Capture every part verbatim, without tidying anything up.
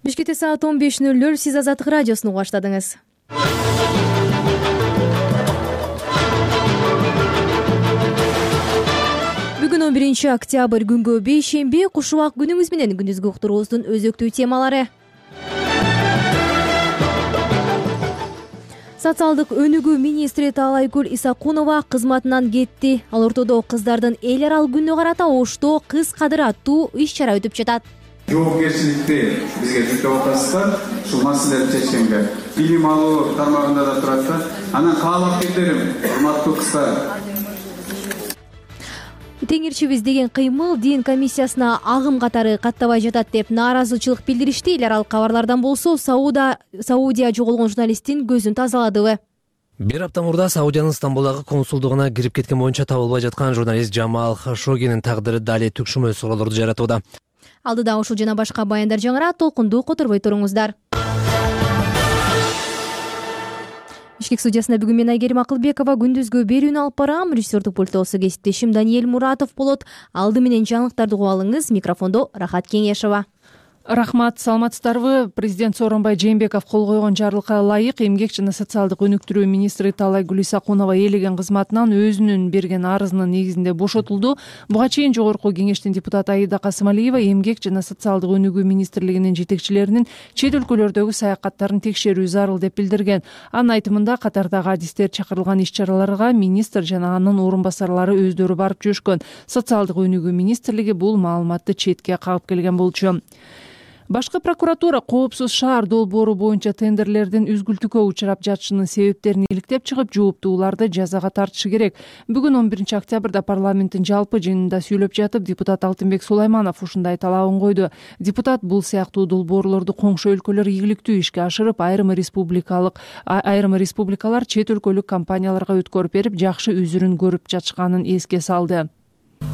Бишкекте саат он беш ноль ноль. Сиз Азаттык радиосун угуп баштадыңыз. Бүгүн он биринчи октябрь күнгө бейшемби. Куш убак күнүңүз менен күндүзгү уктуруубуздун өзөктүү темалары. Социалдык өнүгүү министри Таалайгүл Исакунова кызматынан кетти. Ал ортодо кыздардын эл аралык күнүнө карата Ошто кыз кадыр аттуу иш-чара өтүп жатат. Жоопкерчиликти бизге жүктөп атасыздар. Ушул маселелерди чечкенге билим алуу тармагында да турат да. Анан каалапкерлерим, урматтуу кыздар. Теңирчибиз деген кыймыл дин комиссиясына агым катары каттабай жатат деп нааразычылык билдиришти. Эл аралык кабарлардан болсо Сауда Саудия жоголгон журналисттин көзүн тазаладыбы. Бир апта мурда Саудиянын Стамбулдагы консулдугуна кирип кеткен боюнча табылбай жаткан журналист Джамал Хашогинин тагдыры дали түкшүмө суроолорду жаратууда. Алдыда ушул жана башка баяндар жаңырат, толкунду которбой туруңуздар. Бишкек студиясында бүгүн мен Айгерим Акылбекова күндүзгү берүүнү алып барам. Режиссердик пультосу кесиптешим Даниэль Муратов болот. Алды менен жаңылыктарды угуп алыңыз. Микрофондо Рахат Кеңешова. Рахмат, саламатсыздарбы? Президент Сооронбай Жээнбеков кол койгон жарлыкка ылайык эмгек жана социалдык өнүктүрүү министри Таалайгүл Исакунова ээлеген кызматынан өзүнүн берген арызынын негизинде бошотулду. Буга чейин Жогорку Кеңештин депутаты Аида Касымалиева эмгек жана социалдык өнүгүү министрлигинин жетекчилеринин чет өлкөлөрдөгү саякаттарын текшерүү зарыл деп билдирген. Анын айтымында катардагы адистер чакырылган иш-чараларга министр жана анын орун басарлары өздөрү барып жүрүшкөн. Социалдык өнүгүү министрлиги бул маалыматты четке кагып келген болчу. Башкы прокуратура коопсуз шаар долбоору боюнча тендерлердин үзгүлтүккө учурап жатышынын себептерин иликтеп чыгып, жооптууларды жазага тартышы керек. Бүгүн он биринчи октябрда парламенттин жалпы жыйынында сүйлөп жатып, депутат Алтынбек Сулайманов ушундай талабын койду. Депутат бул сыяктуу долбоорлорду коңшу өлкөлөр ийгиликтүү ишке ашырып, айрым республикалык айрым республикалар чет өлкөлүк компанияларга өткөрүп берип, жакшы үзүрүн көрүп жатышканын эске салды.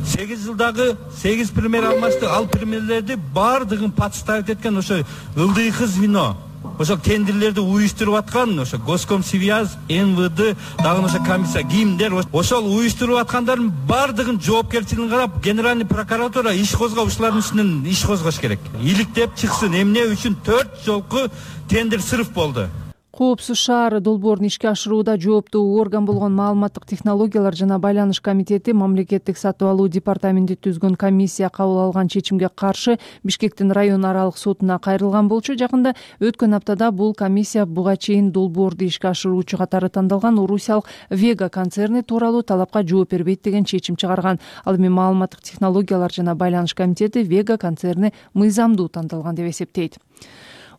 сегиз жылдагы сегиз премьер алмашты, ал премьерлерди баардыгын подставить эткен ошо ылдыйкы звено, ошо тендерлерди уюштуруп аткан ошо Госкомсвязь, эн вэ дэ, дагы ошо комиссия, кимдер ошол уюштуруп аткандардын баардыгын жоопкерчилигин карап, генеральный прокуратура иш козгоп, ушулардын үстүнөн иш козгош керек. Иликтеп чыксын, эмне үчүн төрт жолку тендер сырыф болду. Коопсуз шаар долбоорун ишке ашырууда жооптуу орган болгон Маалыматтык технологиялар жана байланыш комитети мамлекеттик сатып алуу департаменти түзгөн комиссия кабыл алган чечимге каршы Бишкектин район аралык сотуна кайрылган болчу. Жакында өткөн аптада бул комиссия буга чейин долбоорду ишке ашыруучу катары тандалган Орусиялык Вега концерни тууралуу талапка жооп бербейт деген чечим чыгарган. Ал эми Маалыматтык технологиялар жана байланыш комитети Вега концерни мыйзамдуу тандалган деп эсептейт.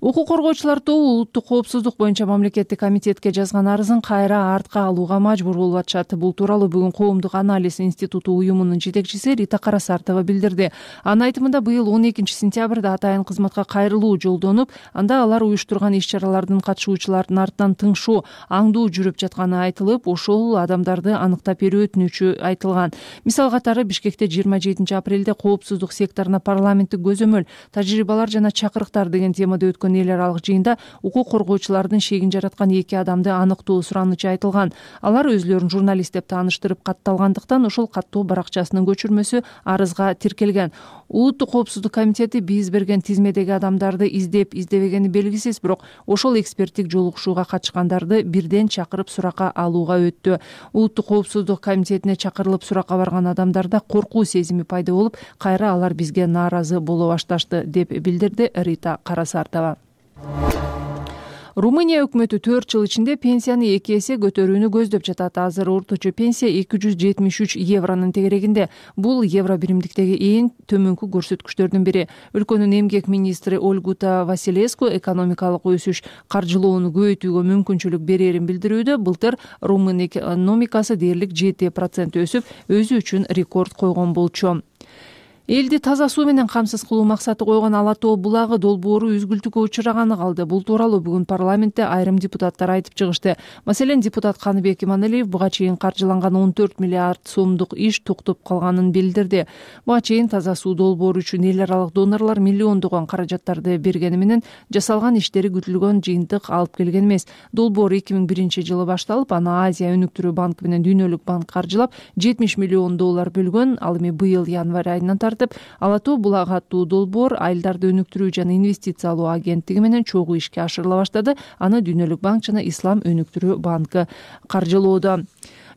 Укук коргоочулар тобу улуттук коопсуздук боюнча мамлекеттик комитетке жазган арызын кайра артка алууга мажбур болуп атышат. Бул тууралуу бүгүн Коомдук анализ институту уюмунун жетекчиси Рита Карасартова билдирди. Анын айтымында быйыл он экинчи сентябрда атайын кызматка кайрылуу жолдонуп, анда алар уюштурган иш-чаралардын катышуучулардын артынан тыңшоо, аңдуу жүрүп жатканы айтылып, ошол адамдарды аныктап берүү өтүнүчү айтылган. Мисал катары Бишкекте жыйырма жетинчи апрелде коопсуздук секторуна парламенттик көзөмөл, тажрыйбалар жана чакырыктар деген темада өткөн эл аралык жыйында укук коргоочулардын шегин жараткан эки адамды аныктоо суранычы айтылган. Алар өзлөрүн журналист деп тааныштырып катталгандыктан ошол каттоо баракчасынын көчүрмөсү арызга тиркелген. Улуттук коопсуздук комитети биз берген тизмедеги адамдарды издеп издебегени белгисиз, бирок ошол эксперттик жолугушууга катышкандарды бирден чакырып суракка алууга өттү. Улуттук коопсуздук комитетине чакырылып суракка барган адамдарда коркуу сезими пайда болуп, кайра алар бизге нааразы боло башташты деп билдирди Рита Карасартова. Румыния өкмөтү төрт жыл ичинде пенсияны эки эсе көтөрүүнү көздөп жатат. Азыр орточо пенсия эки жүз жетимиш үч евронун тегерегинде. Бул евро биримдиктеги эң төмөнкү көрсөткүчтөрдүн бири. Өлкөнүн эмгек министри Ольгута Василеску экономикалык өсүш каржылоону көбөйтүүгө мүмкүнчүлүк берерин билдирүүдө. Былтыр румын экономикасы дээрлик жети процент өсүп, өзү үчүн рекорд койгон болчу. Элди таза суу менен камсыз кылуу максаты койгон Ала тоо булагы долбоору үзгүлтүккө учураганы калды. Бул тууралуу бүгүн парламентте айрым депутаттар айтып чыгышты. Маселен, депутат Каныбек Иманалиев буга чейин каржыланган он төрт миллиард сомдук иш токтоп калганын билдирди. Буга чейин таза суу долбоору үчүн эл аралык донорлор миллиондогон каражаттарды бергени менен жасалган иштери күтүлгөн жыйынтык алып келген эмес. Долбоор эки миң биринчи жылы башталып, аны Азия өнүктүрүү банкы менен Дүйнөлүк банк каржылап жетимиш миллион доллар бөлгөн. Ал эми быйыл январь айынан тартып, Ала тоо булак аттуу долбоор айылдарды өнүктүрүү жана инвестициялоо агенттиги менен чогуу ишке ашырыла баштады. Аны Дүйнөлүк банк жана Ислам өнүктүрүү банкы каржылоодо.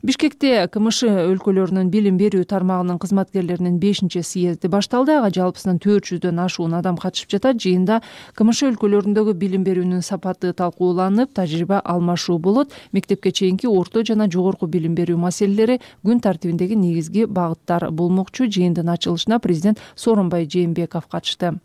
Бишкекте КМШ өлкөлөрүнүн билим берүү тармагынын кызматкерлеринин бешинчи съезди башталды. Ага жалпысынан төрт жүздөн ашуун адам катышып жатат. Жыйында КМШ өлкөлөрүндөгү билим берүүнүн сапаты талкууланып, тажрыйба алмашуу болот. Мектепке чейинки, орто жана жогорку билим берүү маселелери күн тартибиндеги негизги багыттар болмокчу. Жыйындын ачылышына президент Сооронбай Жээнбеков катышты.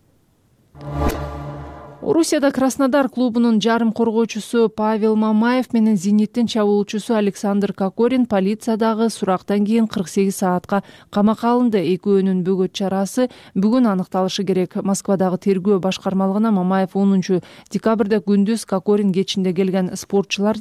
Орусияда Краснодар клубунун жарым коргоочусу Павел Мамаев менен Зениттин чабуулчусу Александр Кокорин полициядагы сурактан кийин кырк сегиз саатка камакка алынды. Экөөнүн бөгөт чарасы бүгүн аныкталышы керек. Москвадагы тергөө башкармалыгына Мамаев онунчу декабрда күндүз, Кокорин кечинде келген спортчулар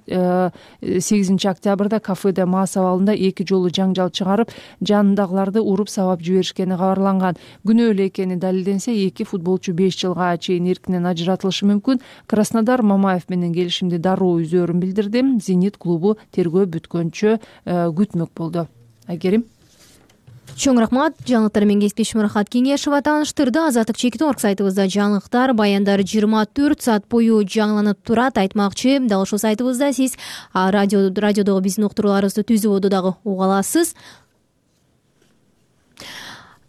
сегизинчи октябрда кафеде мас абалында эки жолу жаңжал чыгарып, жанындагыларды уруп сабап жиберишкени кабарланган. Күнөө экени далилденсе, эки футболчу беш жылга чейин эркинен ажыратылышы мүмкүн. Краснодар Мамаев менен келишимди дароо үзөөрүн билдирди. Зенит клубу тергөө бүткөнчө күтмөк болду. Айгерим. Чоң рахмат. Жаңылыктар менен кесиптешим Рахат Кеңешова тааныштырды. Азаттык чекит орг сайтыбызда жаңылыктар, баяндар жыйырма төрт саат бою жаңыланып турат. Айтмакчы, дал ушул сайтыбызда сиз радио радиодогу биздин уктурууларыбызды түзүп оду дагы уга аласыз.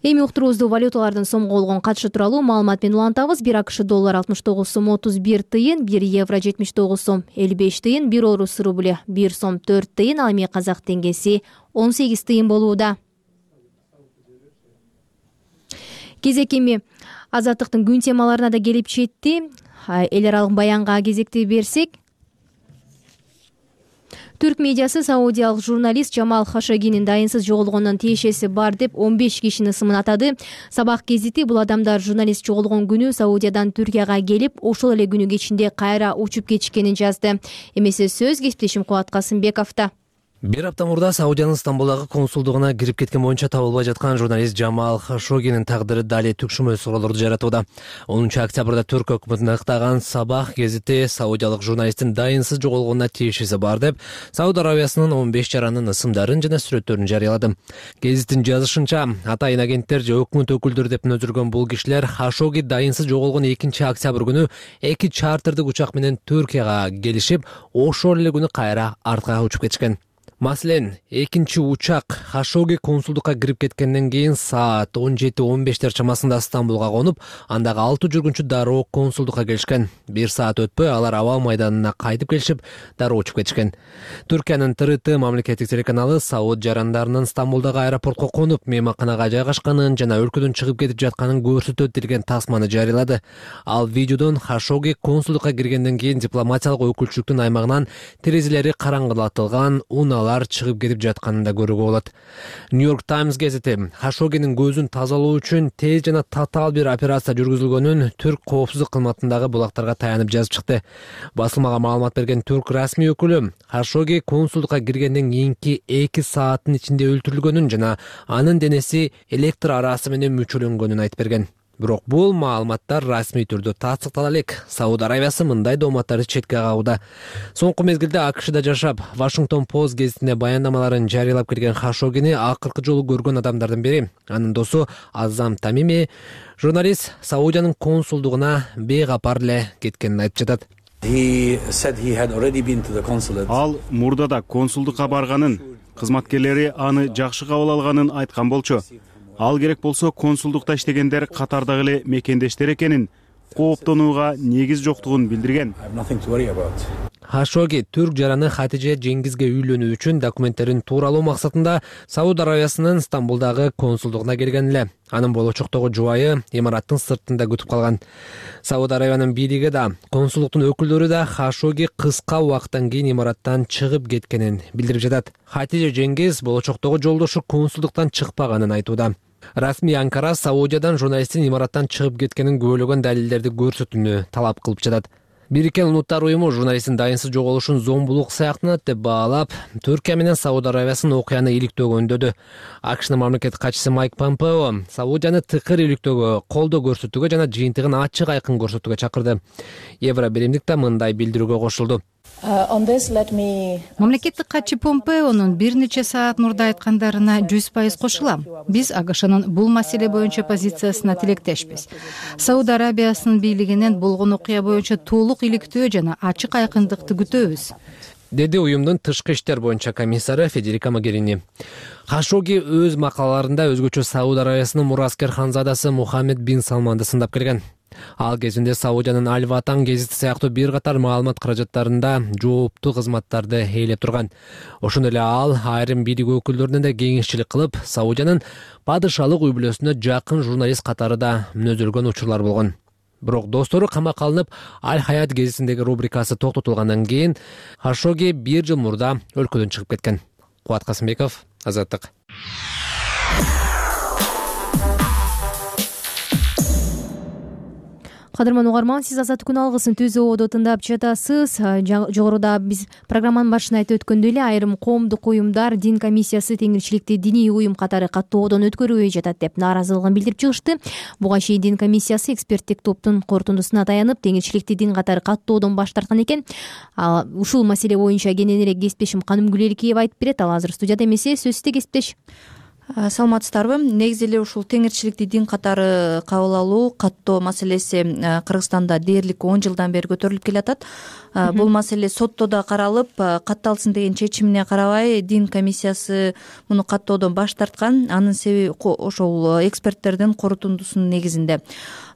Эми уктуруубузду валюталардын сомго болгон катышы тууралуу маалымат менен улантабыз. бир АКШ доллар алтымыш тогуз сом отуз бир тыйын, бир евро жетимиш тогуз сом элүү беш тыйын, бир орус рубль бир сом төрт тыйын, ал эми казак теңгеси он сегиз тыйын болууда. Кезек эми Азаттыктын күн темаларына да келип жетти. Эл аралык баянга кезекти берсек, Түрк медиасы саудиялык журналист Жамал Хашогинин дайынсыз жоголгонунун тиешеси бар деп он беш кишинин ысымын атады. Сабак гезити бул адамдар журналист жоголгон күнү Саудиядан Түркияга келип, ошол эле күнү кечинде кайра учуп кетишкенин жазды. Эмесе сөз кесиптешим Кубат Касымбековдо. Бир апта мурда Саудиянын Стамбулдагы консулдугуна кирип кеткен боюнча табылбай жаткан журналист Жамал Хашогинин тагдыры дали түкшүмө суроолорду жаратууда. онунчу октябрда Түрк өкмөтүн ыктаган Сабах гезити саудиялык журналисттин дайынсыз жоголгонуна тиешеси бар деп Сауд Аравиясынын он беш жаранын ысымдарын жана сүрөттөрүн жарыялады. Гезиттин жазышынча, атайын агенттер же өкмөт өкүлдөрү деп нөзүргөн бул кишилер Хашоги дайынсыз жоголгон экинчи октябрь күнү эки чартырдык учак менен Түркияга келишип, ошол эле күнү кайра артка учуп кетишкен. Маселен, экинчи учак Хашоги консулдукка кирип кеткенден кийин саат он жети он бештер чамасында Стамбулга конуп, андагы алты жүргүнчү дароо консулдукка келишкен. Бир саат өтпөй алар аба майданына кайтып келишип, дароо учуп кетишкен. Түркиянын Т Р Т мамлекеттик телеканалы Сауд жарандарынын Стамбулдагы аэропортко конуп, мейманканага жайгашканын жана өлкөдөн чыгып кетип жатканын көрсөтөт делген тасманы жарыялады. Ал видеодон Хашоги консулдукка киргенден кийин дипломатиялык өкүлчүлүктүн аймагынан терезелери караңгылатылган, унаалар чыгып кетип жатканын да көрүүгө болот. Нью-Йорк Таймс гезити Хашогинин көзүн тазалоо үчүн тез жана татаал бир операция жүргүзүлгөнүн Түрк коопсуздук кызматындагы булактарга таянып жазып чыкты. Басылмага маалымат берген Түрк расмий өкүлү Хашоги консулдукка киргенден кийинки эки сааттын ичинде өлтүрүлгөнүн жана анын денеси электр арасы менен мүчөлөнгөнүн айтып берген. Бирок бул маалыматтар расмий түрдө тастыктала элек. Сауд Аравиясы мындай дооматтарды четке кагууда. Соңку мезгилде АКШда жашап, Вашингтон Пост гезитине баяндамаларын жарыялап келген Хашогини акыркы жолу көргөн адамдардын бири. Анын досу Азам Тамими журналист Саудиянын консулдугуна бейкапар эле кеткенин айтып жатат. Ал мурдада консулдукка барганын, кызматкерлери аны жакшы кабыл алганын айткан болчу. Ал керек болсо консулдукта иштегендер катардагы эле мекендештер экенин, кооптонууга негиз жоктугун билдирген. Хашоги түрк жараны Хатиже Жеңгизге үйлөнүү үчүн документтерин тууралоо максатында Сауд Аравиясынын Стамбулдагы консулдугуна келген эле. Анын болочоктогу жубайы имараттын сыртында күтүп калган. Сауд Аравиянын бийлиги да, консулдуктун өкүлдөрү да Хашоги кыска убакыттан кийин имараттан чыгып кеткенин билдирип жатат. Хатиже Жеңгиз болочоктогу жолдошу консулдуктан чыкпаганын айтууда. Расмий Анкара Саудиядан журналисттин имараттан чыгып кеткенин күбөлөгөн далилдерди көрсөтүүнү талап кылып жатат. Бириккен Улуттар уюму журналисттин дайынсыз жоголушун зомбулук сыяктанат деп баалап, Түркия менен Сауд Аравиясынын окуяны иликтөөгө үндөдү. АКШнын мамлекеттик катчысы Майк Помпео Саудияны тыкыр иликтөөгө, колдоо көрсөтүүгө жана жыйынтыгын ачык айкын көрсөтүүгө чакырды. Евробиримдик да мындай билдирүүгө кошулду. мамлекеттик катчы Помпеонун бир нече саат мурда айткандарына жүз пайыз кошулам. Биз АКШнын бул маселе боюнча позициясына тилектешпиз. Сауд Арабиясынын бийлигинен болгон окуя боюнча толук иликтөө жана ачык айкындыкты күтөбүз, деди уюмдун тышкы иштер боюнча комиссары Федерика Могерини. Хашоги өз макалаларында өзгөчө Сауд Арабиясынын мураскер ханзадасы Мухаммед бин Салманды сындап келген. Ал кезинде Саудиянын Аль-Ватан гезити сыяктуу бир катар маалымат каражаттарында жооптуу кызматтарды ээлеп турган. Ошондой эле ал айрым бийлик өкүлдөрүнө да кеңешчилик кылып, Саудиянын падышалык үй бүлөсүнө жакын журналист катары да мүнөзөлгөн учурлар болгон. Бирок достору камакка алынып, Аль-Хаят гезитиндеги рубрикасы токтотулгандан кийин Хашоги бир жыл мурда өлкөдөн чыгып кеткен. Кубат Касымбеков, Азаттык. Кадырман угарман, сиз Азаттык күн алгысын Түз Ободо тыңдап жатасыз. Жогоруда биз программанын башында айтып өткөндөй эле айрым коомдук уюмдар дин комиссиясы теңирчиликти диний уюм катары каттоодон өткөрүбөй жатат деп нааразылыгын билдирип чыгышты. Буга чейин дин комиссиясы эксперттик топтун корутундусуна таянып, теңирчиликти дин катары каттоодон баш тарткан экен. Ушул маселе боюнча кененирээк кесиптешим Каным Гүлеликиева айтып берет. Ал азыр студияда эмесе, сөз сизде кесиптеш. Саламатсыздарбы? Негизи эле ушул теңирчиликти дин катары кабыл алуу, каттоо маселеси Кыргызстанда дээрлик он жылдан бери көтөрүлүп келатат. Бул маселе сотто да каралып, катталсын деген чечимине карабай дин комиссиясы муну каттоодон баш тарткан. Анын себеби ошол эксперттердин корутундусунун негизинде.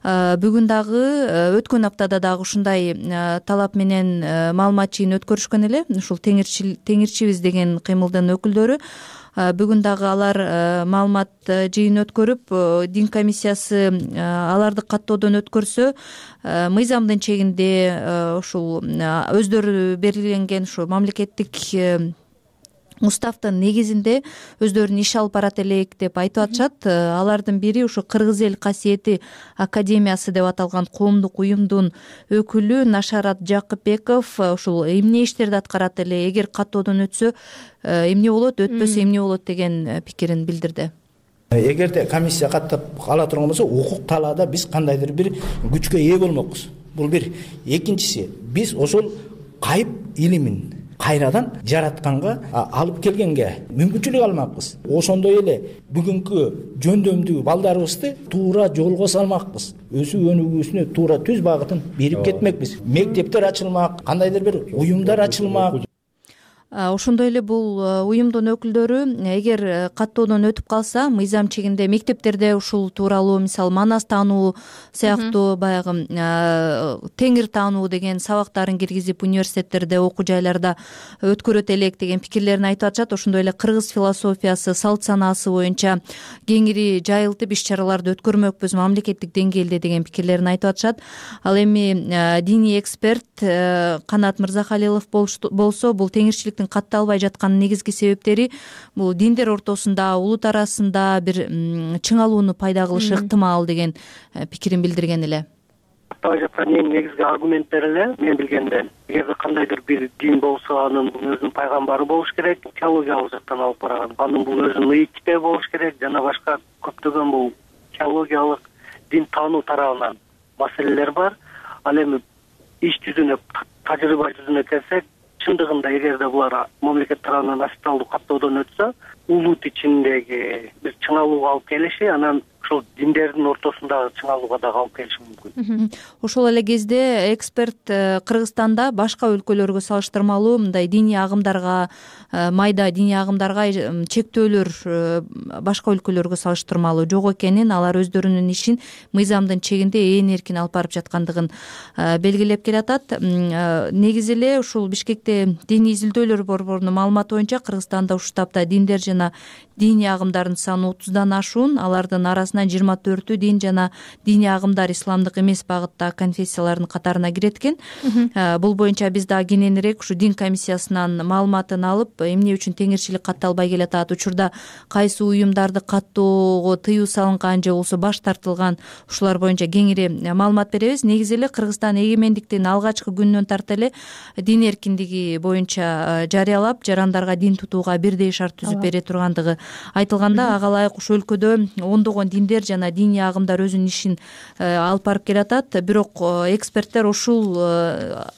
Бүгүн дагы өткөн аптада дагы ушундай талап менен маалымат жыйын өткөрүшкөн эле. Ушул теңирчибиз деген кыймылдын өкүлдөрү бүгүн дагы алар маалымат жыйын өткөрүп, дин комиссиясы аларды каттоодон өткөрсө, мыйзамдын чегинде ушул өздөрү белгиленген ушу мамлекеттик уставдын негизинде өздөрүнүн иш алып барат элек деп айтып атышат. Алардын бири ушу Кыргыз эл касиети академиясы деп аталган коомдук уюмдун өкүлү Нашарат Жакыпбеков ушул эмне иштерди аткарат эле, эгер каттоодон өтсө эмне болот, өтпөсө эмне болот деген пикирин билдирди. Эгерде комиссия каттап ала турган болсо, укук талаада биз кандайдыр бир күчкө ээ болмокпуз. Бул бир. Экинчиси, биз ошол кайып илимин кайрадан жаратканга, алып келгенге мүмкүнчүлүк алмакпыз. Ошондой эле бүгүнкү жөндөмдүү балдарыбызды туура жолго салмакпыз. Өсүү өнүгүүсүнө туура түз багытын берип кетмекпиз. Мектептер ачылмак, кандайдыр бир уюмдар ачылмак. Ошондой эле бул уюмдун өкүлдөрү эгер каттоодон өтүп калса, мыйзам чегинде мектептерде ушул тууралуу, мисалы манас таануу сыяктуу баягы теңир таануу деген сабактарын киргизип университеттерде, окуу жайларда өткөрөт элек деген пикирлерин айтып атышат. Ошондой эле кыргыз философиясы, салт санаасы боюнча кеңири жайылтып иш чараларды өткөрмөкпүз мамлекеттик деңгээлде деген пикирлерин айтып атышат. Ал эми диний эксперт Канат Мырзахалилов болсо, бул теңирчилик катталбай жатканын негизги себептери бул диндер ортосунда, улут арасында бир чыңалууну пайда кылышы ыктымал деген пикирин билдирген эле. Каттабай жаткан эң негизги аргументтер эле мен билгенде, эгерде кандайдыр бир дин болсо, анын өзүнүн пайгамбары болуш керек, теологиялык жактан алып барган. Анын бул өзүнүн ыйыктипе болуш керек жана башка көптөгөн бул теологиялык дин таануу тарабынан маселелер бар. Ал эми иш жүзүнө, тажрыйба жүзүнө келсек, чындыгында эгерде булар мамлекет тарабынан официалдуу каттоодон өтсө, улут ичиндеги бир чыңалууга алып келиши, анан ошол диндердин ортосундагы чыңалууга дагы алып келиши мүмкүн. Ошол эле кезде эксперт Кыргызстанда башка өлкөлөргө салыштырмалуу мындай диний агымдарга, майда диний агымдарга чектөөлөр башка өлкөлөргө салыштырмалуу жок экенин, алар өздөрүнүн ишин мыйзамдын чегинде ээн эркин алып барып жаткандыгын белгилеп келатат. Негизи эле ушул Бишкекте диний изилдөөлөр борборунун маалыматы боюнча Кыргызстанда ушул тапта диндер жана диний агымдардын саны отуздан ашуун, алардын арасынан жыйырма төртү дин жана диний агымдар исламдык эмес багыттагы конфессиялардын катарына кирет экен. Бул боюнча биз дагы кененирээк ушу дин комиссиясынан маалыматын алып, эмне үчүн теңирчилик катталбай келатат, учурда кайсы уюмдарды каттоого тыюу салынган же болбосо баш тартылган, ушулар боюнча кеңири маалымат беребиз. Негизи эле Кыргызстан эгемендиктин алгачкы күнүнөн тарта эле дин эркиндиги боюнча жарыялап, жарандарга дин тутууга бирдей шарт түзүп бере тургандыгы айтылганда ага ылайык ушул өлкөдө ондогон диндер жана диний агымдар өзүнүн ишин алып барып келатат. Бирок эксперттер ушул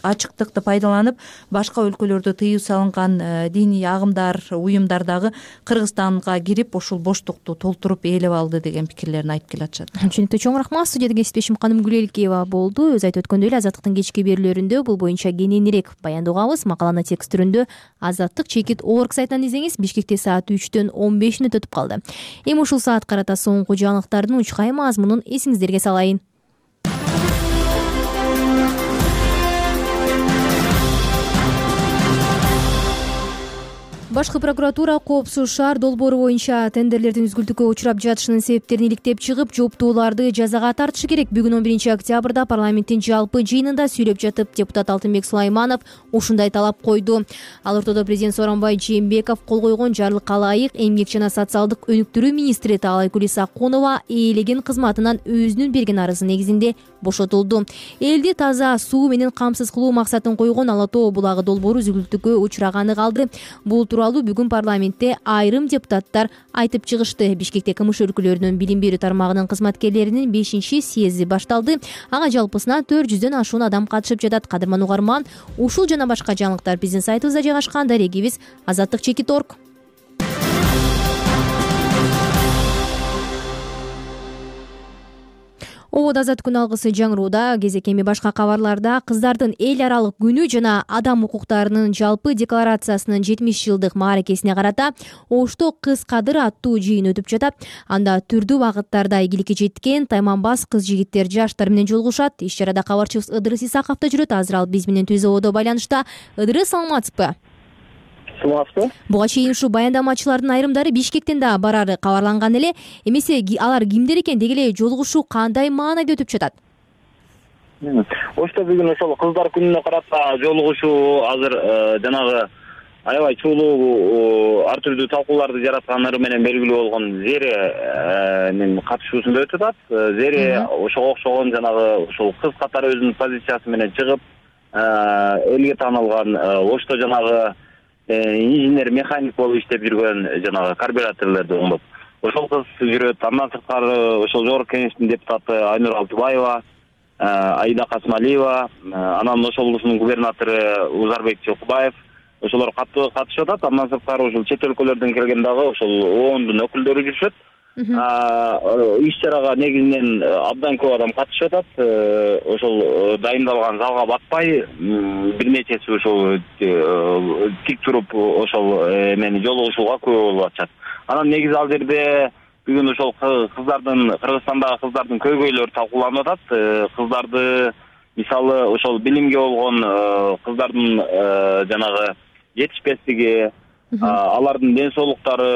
ачыктыкты пайдаланып башка өлкөлөрдө тыюу салынган диний агымдар, уюмдар дагы Кыргызстанга кирип ушул боштукту толтуруп ээлеп алды деген пикирлерин айтып келатышат. Түшүнүктүү, чоң рахмат. Студияда кесиптешим Каным Гүлелкеева болду. Өз айтып өткөндөй эле Азаттыктын кечки берүүлөрүндө бул боюнча кененирээк баяндоо угабыз. Макаланы текст түрүндө Азаттык чекит орг сайтынан излеңиз. Бишкекте саат үчтөн он беш мүнөт өтүп калды. Эми ушул саат карата соңку жаңылыктардын учкай мазмунун эсиңиздерге салайын. Башкы прокуратура Коопсуз шаар долбоору боюнча тендерлердин үзгүлтүккө учурап жатышынын себептерин иликтеп чыгып, жооптууларды жазага тартышы керек. Бүгүн он биринчи октябрда парламенттин жалпы жыйынында сүйлөп жатып, депутат Алтынбек Сулайманов ушундай талап койду. Ал ортодо президент Сооронбай Жээнбеков кол койгон жарлыкка ылайык эмгек жана социалдык өнүктүрүү министри Таалайкүл Исакунова ээлеген кызматынан өзүнүн берген арызы негизинде бошотулду. Элди таза суу менен камсыз кылуу максатын койгон Ала Тоо булагы долбоору үзгүлтүккө учураганы калды. Бул тууралуу бүгүн парламентте айрым депутаттар айтып чыгышты. Бишкекте КМШ өлкөлөрүнүн билим берүү тармагынын кызматкерлеринин бешинчи съезди башталды. Ага жалпысына төрт жүздөн ашуун адам катышып жатат. Кадырман угарман, ушул жана башка жаңылыктар биздин сайтыбызда жайгашкан. Дарегибиз азаттык чекит точка орг. Обод азат күн алгысы жаңырууда. Кезек эми башка кабарларда кыздардын эл аралык күнү жана адам укуктарынын жалпы декларациясынын жетимиш жылдык мааракесине карата Ошто кыз кадыр аттуу жыйын өтүп жатат. Анда түрдүү багыттарда ийгиликке жеткен тайманбас кыз жигиттер жаштар менен жолугушат. Иш чарада кабарчыбыз Ыдырыс Исаков да жүрөт. Азыр ал биз менен түз ободо байланышта. Ыдырыс, саламатсызбы? Буга чейин ушу баяндамачылардын айрымдары Бишкектен да барары кабарланган эле. Эмесе алар кимдер экен, деги эле жолугушуу кандай маанайда өтүп жатат? Ошто бүгүн ошол кыздар күнүнө карата жолугушуу азыр жанагы аябай чуулуу ар түрдүү талкууларды жараткандары менен белгилүү болгон Зеренин катышуусунда өтүп атат. Зере ошого окшогон жанагы ошол кыз катары өзүнүн позициясы менен чыгып, элге таанылган Ошто жанагы инженер механик болуп иштеп жүргөн жанагы карбюраторлорду оңдоп ошол кыз жүрөт. Андан сырткары ошол жогорку кеңештин депутаты Айнур Алтыбаева, Аида Касымалиева, анан ошол облустун губернатору Узарбек Чокубаев ошолор катуу катышып атат. Андан сырткары ошол чет өлкөлөрдөн келген дагы ошол оондун өкүлдөрү жүрүшөт. Иш чарага негизинен абдан көп адам катышып атат. Ошол дайындалган залга батпай бир нечеси ошол тик туруп ошол эмени жолугушууга күбө болуп атышат. Анан негизи ал жерде бүгүн ошол кыздардын, Кыргызстандагы кыздардын көйгөйлөрү талкууланып атат. Кыздарды мисалы ошол билимге болгон кыздардын жанагы жетишпестиги, алардын ден соолуктары,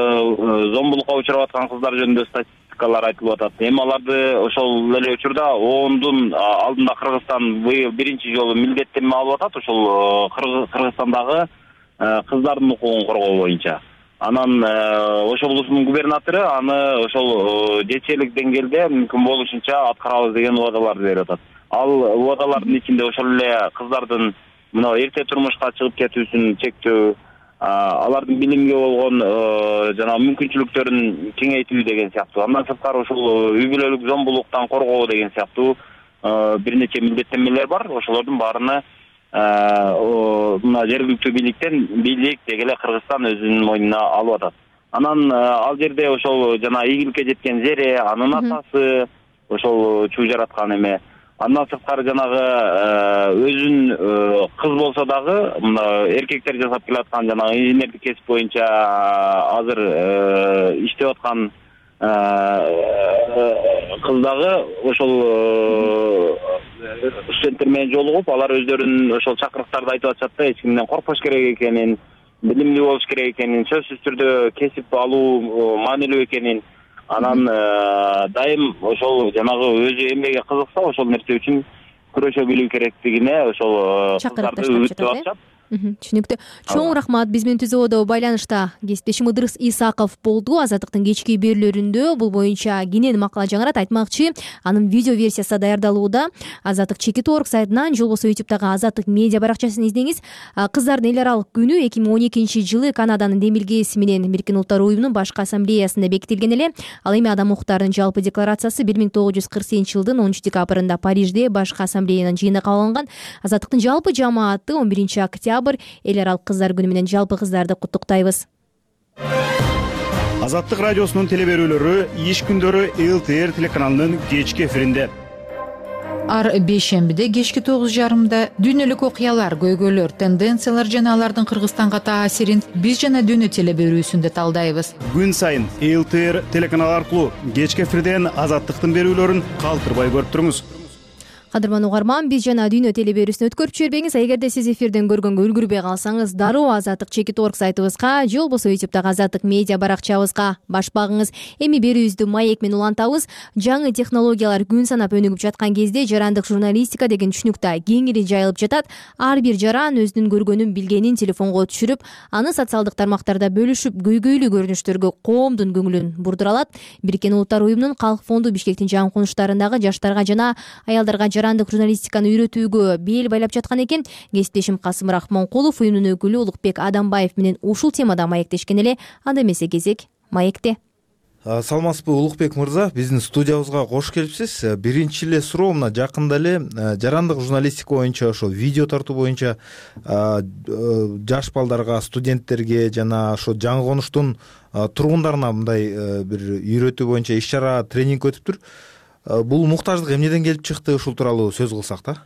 зомбулукка учурап аткан кыздар жөнүндө статистикалар айтылып атат. Эми аларды ошол эле учурда оондун алдында Кыргызстан быйыл биринчи жолу милдеттенме алып атат ошол Кыргызстандагы кыздардын укугун коргоо боюнча. Анан ошол облустун губернатору аны ошол жетчелик деңгээлде мүмкүн болушунча аткарабыз деген убадаларды берип атат. Ал убадалардын ичинде ошол эле кыздардын мына эрте турмушка чыгып кетүүсүн чектөө, алардын билимге болгон жана мүмкүнчүлүктөрүн кеңейтүү деген сыяктуу. Андан сырткары ошол үй бүлөлүк зомбулуктан коргоо деген сыяктуу бир нече милдеттенмелер бар. Ошолордун баарына мына жергиликтүү бийликтен бийлик деги эле Кыргызстан өзүнүн мойнуна алып атат. Анан ал жерде ошол жана ийгиликке жеткен Зере, анын атасы ошол чуу жараткан эме. Андан сырткары жанагы өзүн кыз болсо дагы мына эркектер жасап келаткан жанагы инженердик кесип боюнча азыр иштеп аткан кыз дагы ошол студенттер менен жолугуп, алар өздөрүнүн ошол чакырыктарды айтып атышат да, эч кимден коркпош керек экенин, билимдүү болуш керек экенин, сөзсүз түрдө кесип алуу маанилүү экенин. Анан дайым ошол жанагы өзү эмнеге кызыкса ошол нерсе үчүн күрөшө билүү керектигине ошол кыздарды үгүттөп атышат. түшүнүктүү. Чоң рахмат. Биз менен түзөөдө байланышта кесиптешим Ыдырыс Исаков болду. Азаттыктын кечки берүүлөрүндө бул боюнча кенен макала жаңырат. Айтмакчы, анын видео версиясы даярдалууда. Азаттык чекит орг сайтынан же болбосо ютубтагы Азаттык медиа баракчасын издеңиз. Кыздардын эл аралык күнү эки миң он экинчи жылы Канаданын демилгеси менен Бириккен Улуттар уюмунун башкы ассамблеясында бекитилген эле. Ал эми адам укуктарынын жалпы декларациясы бир миң тогуз жүз кырк сегизинчи жылдын онунчу декабрында Парижде башкы ассамблеянын жыйынында кабыл алынган. Азаттыктын жалпы жамааты он биринчи октябрь эл аралык кыздар күнү менен жалпы кыздарды куттуктайбыз. Азаттык радиосунун теле берүүлөрү иш күндөрү эл ти эр телеканалынын кечки эфиринде. Ар бейшембиде кечки тогуз жарымда дүйнөлүк окуялар, көйгөйлөр, тенденциялар жана алардын Кыргызстанга таасирин биз жана дүйнө теле берүүсүндө талдайбыз. Күн сайын эл ти эр телеканалы аркылуу кечки эфирден Азаттыктын берүүлөрүн калтырбай көрүп туруңуз. Кадырман угарман, биз жана дүйнө теле берүүсүн өткөрүп жибербеңиз. Эгерде сиз эфирден көргөнгө үлгүрбөй калсаңыз, дароо Азаттык чекит орг сайтыбызга же болбосо ютубтагы Азаттык медиа баракчабызга баш багыңыз. Эми берүүбүздү маек менен улантабыз. Жаңы технологиялар күн санап өнүгүп жаткан кезде жарандык журналистика деген түшүнүк да кеңири жайылып жатат. Ар бир жаран өзүнүн көргөнүн, билгенин телефонго түшүрүп, аны социалдык тармактарда бөлүшүп, көйгөйлүү көрүнүштөргө коомдун көңүлүн бурдура алат. Бириккен Улуттар уюмунун Калк фонду Бишкектин жаңы конуштарындагы жаштарга жана аялдарга жарандык журналистиканы үйрөтүүгө бел байлап жаткан экен. Кесиптешим Касым Рахмонкулов уюмдун өкүлү Улукбек Адамбаев менен ушул темада маектешкен эле. Анда эмесе кезек маекте. Саламатсызбы Улукбек мырза, биздин студиябызга кош келипсиз. Биринчи эле суроо мына жакында эле жарандык журналистика боюнча, ошо видео тартуу боюнча жаш балдарга, студенттерге жана ошо жаңы конуштун тургундарына мындай бир үйрөтүү боюнча иш чара, тренинг өтүптүр. Бул муктаждык эмнеден келип чыкты, ушул тууралуу сөз кылсак да.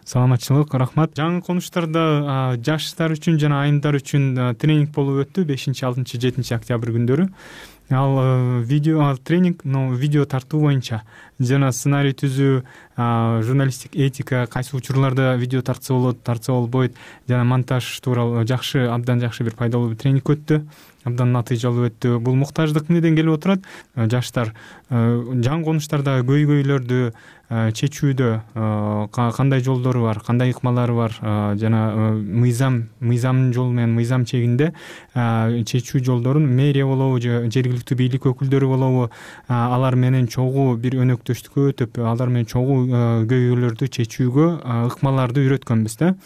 Саламатчылык, рахмат. Жаңы конуштарда жаштар үчүн жана айымдар үчүн тренинг болуп өттү бешинчи, алтынчы, жетинчи октябрь күндөрү. Ал видео, ал тренинг, но видео тартуу боюнча жана сценарий түзүү, журналистик этика, кайсы учурларда видео тартса болот, тартса болбойт, жана монтаж тууралуу жакшы, абдан жакшы бир пайдалуу тренинг өттү. Абдан натыйжалуу өттү. Бул муктаждык эмнеден келип отурат? Жаштар жаңы конуштарда көйгөйлөрдү чечүүдө кандай жолдору бар, кандай ыкмалары бар, жана мыйзам, мыйзамдын жолу менен мыйзам чегинде чечүү жолдорун мэрия болобу же жергиликтүү бийлик өкүлдөрү болобу, алар менен чогуу бир өнөктөштүккө өтүп, алар менен чогуу көйгөйлөрдү чечүүгө ыкмаларды үйрөткөнбүз да.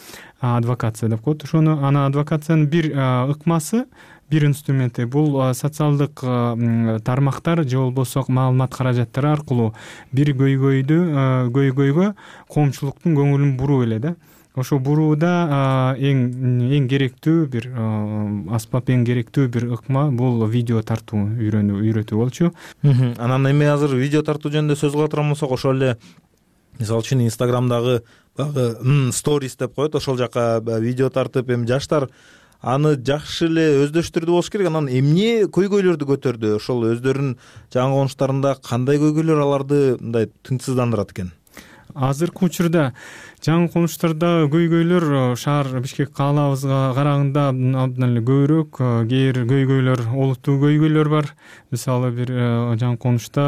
Адвокация деп коет ошону. Анан адвокациянын бир ыкмасы, бир инструменти бул социалдык тармактар же болбосо маалымат каражаттары аркылуу бир көйгөйдү көйгөйгө коомчулуктун көңүлүн буруу эле да. Ошо бурууда эң эң керектүү бир аспап, эң керектүү бир ыкма бул видео тартуу, үйрөнүү, үйрөтүү болчу. Анан эми азыр видео тартуу жөнүндө сөз кыла турган болсок, ошол эле мисалы үчүн Инстаграмдагы баягы сторис деп коет, ошол жака видео тартып, эми жаштар аны жакшы эле өздөштүрдү болуш керек. Анан эмне көйгөйлөрдү көтөрдү? Ошол өздөрүнүн жаңы конуштарында кандай көйгөйлөр аларды мындай тынчсыздандырат экен? Азыркы учурда жаңы конуштарда көйгөйлөр шаар Бишкек каалабызга караганда абдан эле көбүрөөк. Кээ бир көйгөйлөр, олуттуу көйгөйлөр бар. Мисалы бир жаңы конушта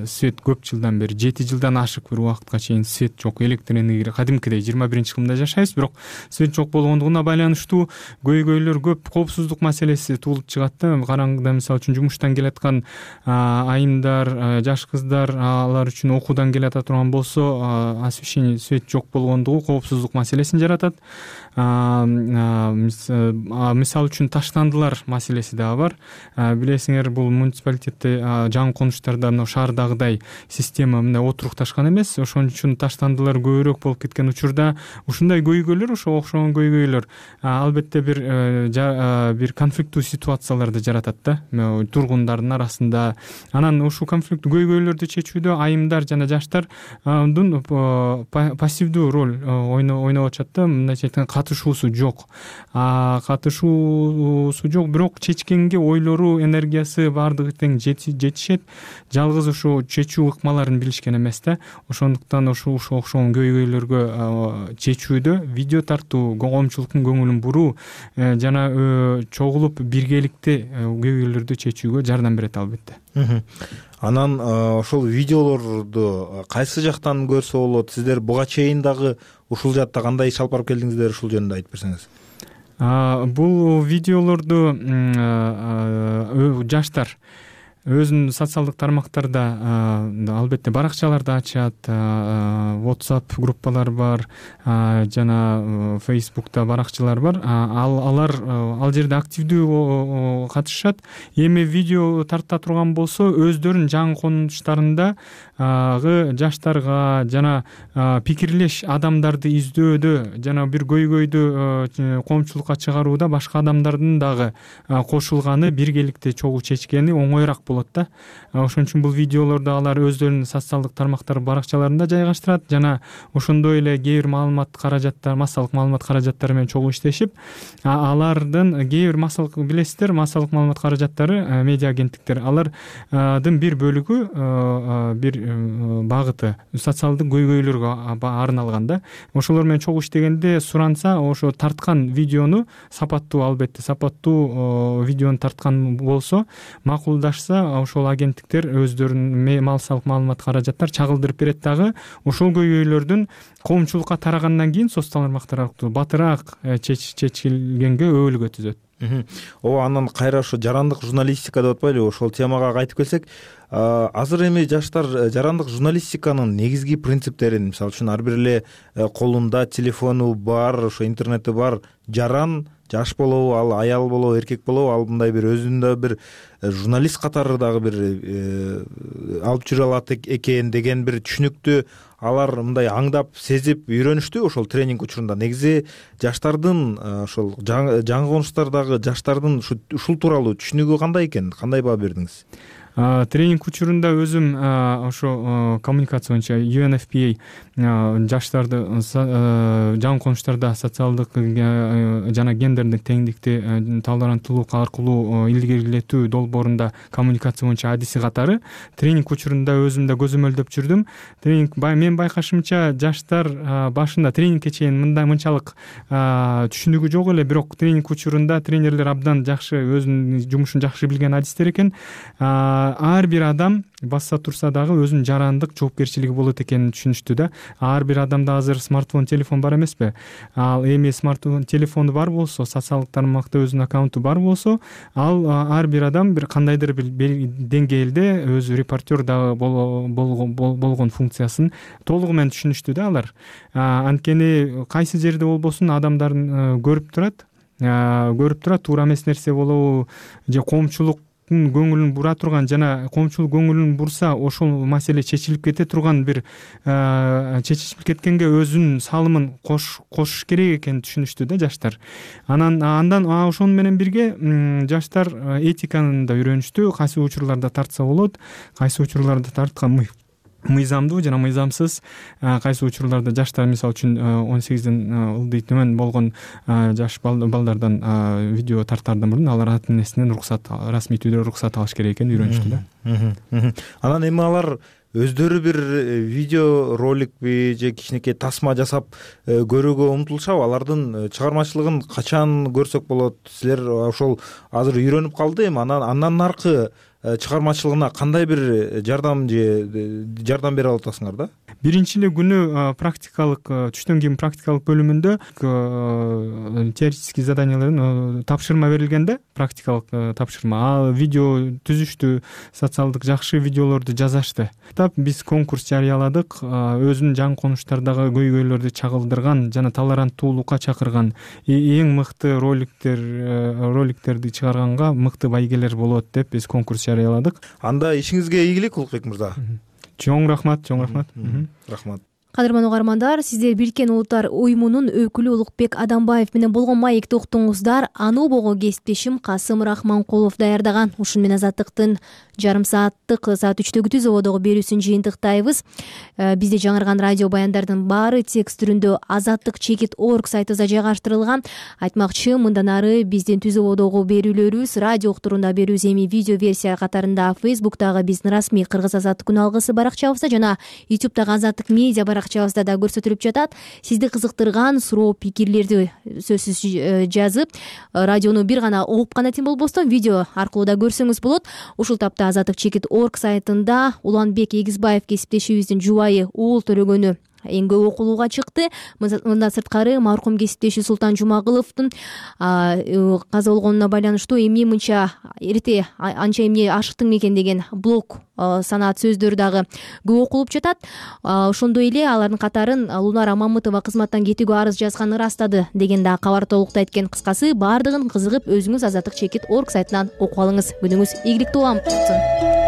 свет көп жылдан бери, жети жылдан ашык бир убакытка чейин свет жок, электр энергия кадимкидей жыйырма биринчи кылымда жашайбыз, бирок свет жок болгондугуна байланыштуу көйгөйлөр көп, коопсуздук маселеси туулуп чыгат да. Караңгыда мисалы үчүн жумуштан келаткан айымдар, жаш кыздар, алар үчүн окуудан келата турган болсо, освещение, свет жок болгондугу коопсуздук маселесин жаратат. Мисалы үчүн таштандылар маселеси дагы бар. Билесиңер, бул муниципалитетте жаңы конуштарда мына шаардагыдай система мындай отурукташкан эмес. Ошон үчүн таштандылар көбүрөөк болуп кеткен учурда ушундай көйгөйлөр, ошо окшогон көйгөйлөр албетте бир бир конфликттүү ситуацияларды жаратат да тургундардын арасында. Анан ушул конфликттүү көйгөйлөрдү чечүүдө айымдар жана жаштардын пассивдүү роль ойноп атышат да. Мындайча айтканда катышуусу жок. Катышуусу жок, бирок чечкенге ойлору, энергиясы баардыгы тең жетишет. Жалгыз ушу чечүү ыкмаларын билишкен эмес да. Ошондуктан ушул окшогон көйгөйлөргө чечүүдө видео тартуу, коомчулуктун көңүлүн буруу жана чогулуп биргеликте көйгөйлөрдү чечүүгө жардам берет албетте. Анан ошол видеолорду кайсы жактан көрсө болот? Сиздер буга чейин дагы ушул жаатта кандай иш алып барып келдиңиздер, ушул жөнүндө айтып берсеңиз. Бул видеолорду жаштар өзүнүн социалдык тармактарда албетте баракчаларды ачат, WhatsApp группалар бар, жана Facebook'та баракчалар бар. Ал алар ал жерде активдүү катышышат. Эми видео тарта турган болсо өздөрүнүн жаңы конуштарындагы жаштарга жана пикирлеш адамдарды издөөдө жана бир көйгөйдү коомчулукка чыгарууда башка адамдардын дагы кошулганы, биргеликте чогуу чечкени оңоюраак болот да. Ошон үчүн бул видеолорду алар өздөрүнүн социалдык тармактар баракчаларында жайгаштырат жана ошондой эле кээ бир маалымат каражаттар, массалык маалымат каражаттары менен чогуу иштешип, алардын кээ бир массалык билесиздер, массалык маалымат каражаттары, медиа агенттиктер, алардын бир бөлүгү, бир багыты социалдык көйгөйлөргө арналган да. Ошолор менен чогуу иштегенде суранса, ошо тарткан видеону сапаттуу, албетте сапаттуу видеону тарткан болсо, макулдашса, ошол агенттиктер өздөрүнүн массалык маалымат каражаттар чагылдырып берет дагы. Ошол көйгөйлөрдүн коомчулукка тарагандан кийин социалдык тармактар аркылуу батыраак чечилгенге өбөлгө түзөт. Ооба, анан кайра ошо жарандык журналистика деп атпайлыбы? Ошол темага кайтып келсек, азыр эми жаштар жарандык журналистиканын негизги принциптерин, мисалы үчүн ар бир эле колунда телефону бар, ошо интернети бар жаран, жаш болобу, ал аял болобу, эркек болобу, ал мындай бир өзүндө бир журналист катары дагы бир алып жүрө алат экен деген бир түшүнүктү алар мындай аңдап, сезип үйрөнүштү ошол тренинг учурунда. Негизи жаштардын ошол жаңы конуштардагы жаштардын ушул тууралуу түшүнүгү кандай экен? Кандай баа бердиңиз? Тренинг учурунда өзүм ошо коммуникация боюнча ю эн эф пи эй жаштарды жаңы конуштарда социалдык жана гендердик теңдикти толеранттуулук аркылуу илгерилетүү долбоорунда коммуникация боюнча адиси катары тренинг учурунда өзүм да көзөмөлдөп жүрдүм. Тренинг мен байкашымча жаштар башында тренингке чейин мындай мынчалык түшүнүгү жок эле, бирок тренинг учурунда тренерлер абдан жакшы өзүнүн жумушун жакшы билген адистер экен. Ар бир адам басса турса дагы өзүнүн жарандык жоопкерчилиги болот экенин түшүнүштү да. Ар бир адамда азыр смартфон, телефон бар эмеспи? Ал эми смартфон, телефону бар болсо, социалдык тармакта өзүнүн аккаунту бар болсо, ал ар бир адам бир кандайдыр бир деңгээлде өзү репортер дагы болгон функциясын толугу менен түшүнүштү да алар. Анткени кайсы жерде болбосун адамдарын көрүп турат, көрүп турат, туура эмес нерсе болобу же коомчулук көңүлүн бура турган жана коомчулук көңүлүн бурса ошол маселе чечилип кете турган бир чечилип кеткенге өзүнүн салымын кошуш керек экенин түшүнүштү да жаштар. Анан андан ошону менен бирге жаштар этиканы да үйрөнүштү. Кайсы учурларда тартса болот, кайсы учурларда тарткан мыйзамдуу жана мыйзамсыз, кайсы учурларда жаштар мисалы үчүн он сегизден ылдый төмөн болгон жаш балдардан видео тартаардан мурдун алар ата энесинен уруксат, расмий түрдө уруксат алыш керек экенин үйрөнүштү да. Анан эми алар өздөрү бир видео роликпи же кичинекей тасма жасап көрүүгө умтулушабы? Алардын чыгармачылыгын качан көрсөк болот? Силер ошол азыр үйрөнүп калды эми, анан андан наркы чыгармачылыгына кандай бир жардам же жардам бере алып атасыңар да? Биринчи эле күнү практикалык, түштөн кийин практикалык бөлүмүндө теоретический заданиялардын тапшырма берилген да, практикалык тапшырма. Ал видео түзүштү, социалдык жакшы видеолорду жазашты. Биз конкурс жарыяладык, өзүнүн жаңы конуштардагы көйгөйлөрдү чагылдырган жана толеранттуулукка чакырган эң мыкты роликтер роликтерди чыгарганга мыкты байгелер болот деп биз конкурс жарыяладык. Анда ишиңизге ийгилик, Улукбек мырза. Чоң рахмат, чоң рахмат. Рахмат. Кадырман угармандар, сиздер Бириккен Улуттар уюмунун өкүлү Улукбек Адамбаев менен болгон маекти уктуңуздар. Аны убого кесиптешим Касым Рахманкулов даярдаган. Ушун менен Азаттыктын жарым сааттык саат үчтөгү түз ободогу берүүсүн жыйынтыктайбыз. Бизде жаңырган радио баяндардын баары текст түрүндө азаттык чекит орг сайтыбызда жайгаштырылган. Айтмакчы, мындан ары биздин түз ободогу берүүлөрүбүз радио уктурунда берүүбүз эми видео версия катарында Facebook'тагы биздин расмий Кыргыз Азаттык күн алгысы баракчабызда жана YouTube'дагы Азаттык медиа баракчабызда баракчабызда да көрсөтүлүп жатат. Сизди кызыктырган суроо пикирлерди сөзсүз жазып, радиону бир гана угуп гана тим болбостон видео аркылуу да көрсөңүз болот. Ушул тапта азаттык чекит орг сайтында Уланбек Эгизбаев кесиптешибиздин жубайы Уул Төлөгөнү эң көп окулууга чыкты. Мындан сырткары маркум кесиптеши Султан Жумагыловдун каза болгонуна байланыштуу эмне мынча эрте анча эмне ашыктың мекен деген блог санаат сөздөр дагы көп окулуп жатат. Ошондой эле алардын катарын Лунара Мамытова кызматтан кетүүгө арыз жазганын ырастады деген дагы кабар толуктайт экен. Кыскасы баардыгын кызыгып өзүңүз азаттык чекит орг сайтынан окуп алыңыз. Күнүңүз ийгиликтүү улам болсун.